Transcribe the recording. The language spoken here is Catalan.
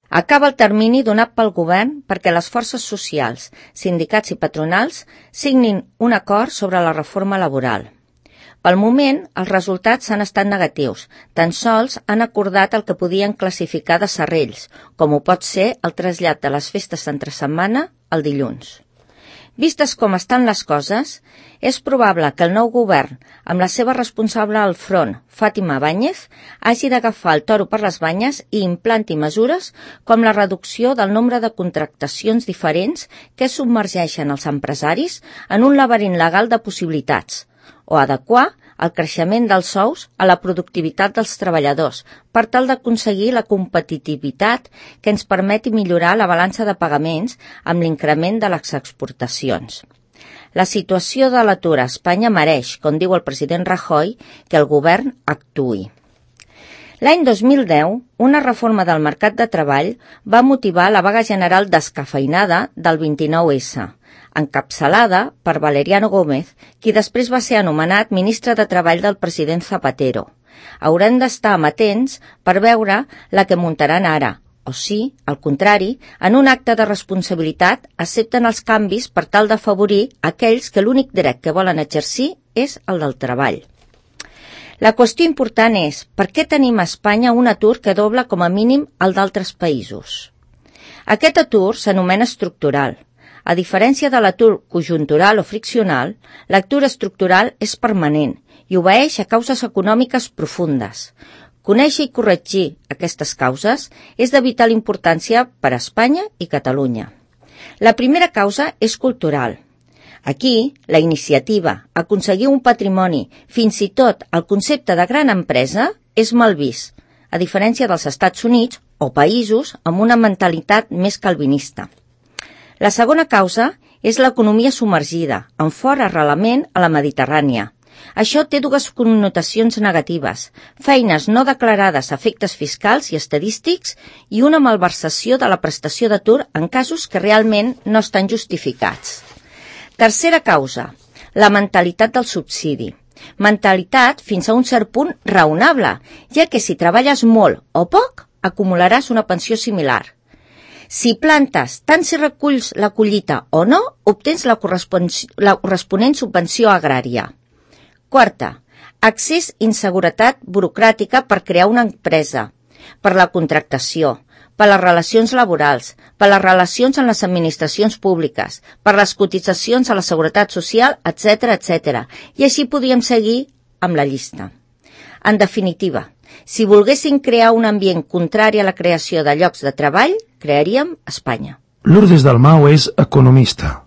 Acaba el termini donat pel govern perquè les forces socials, sindicats i patronals signin un acord sobre la reforma laboral. Pel moment, els resultats han estat negatius. Tan sols han acordat el que podien classificar de serrells, com ho pot ser el trasllat de les festes d'entre setmana al dilluns. Vistes com estan les coses, és probable que el nou govern, amb la seva responsable al front, Fátima Báñez, hagi d'agafar el toro per les banyes i implanti mesures com la reducció del nombre de contractacions diferents que submergeixen els empresaris en un laberint legal de possibilitats, o adequar el creixement dels sous a la productivitat dels treballadors per tal d'aconseguir la competitivitat que ens permeti millorar la balança de pagaments amb l'increment de les exportacions. La situació de l'atur a Espanya mereix, com diu el president Rajoy, que el govern actuï. L'any 2010, una reforma del mercat de treball va motivar la vaga general descafeinada del 29S, encapçalada per Valeriano Gómez, qui després va ser anomenat ministre de Treball del president Zapatero. Haurem d'estar amatents per veure la que muntaran ara, o sí, al contrari, en un acte de responsabilitat accepten els canvis per tal d'afavorir aquells que l'únic dret que volen exercir és el del treball. La qüestió important és per què tenim a Espanya un atur que dobla com a mínim el d'altres països. Aquest atur s'anomena estructural. A diferència de l'atur conjuntural o friccional, l'atur estructural és permanent i obeeix a causes econòmiques profundes. Conèixer i corregir aquestes causes és de vital importància per a Espanya i Catalunya. La primera causa és cultural. Aquí, la iniciativa, aconseguir un patrimoni, fins i tot el concepte de gran empresa, és mal vist, a diferència dels Estats Units o països amb una mentalitat més calvinista. La segona causa és l'economia submergida, amb fort arrelament a la Mediterrània. Això té dues connotacions negatives, feines no declarades a efectes fiscals i estadístics i una malversació de la prestació d'atur en casos que realment no estan justificats. Tercera causa, la mentalitat del subsidi. Mentalitat fins a un cert punt raonable, ja que si treballes molt o poc, acumularàs una pensió similar. Si plantes, tant si reculls la collita o no, obtens la corresponent subvenció agrària. Quarta, accés i inseguretat burocràtica per crear una empresa, per la contractació, per les relacions laborals, per les relacions en les administracions públiques, per les cotitzacions a la seguretat social, etc., etc. I així podríem seguir amb la llista. En definitiva, si volguéssim crear un ambient contrari a la creació de llocs de treball, crearíem Espanya. Lourdes Dalmau és economista.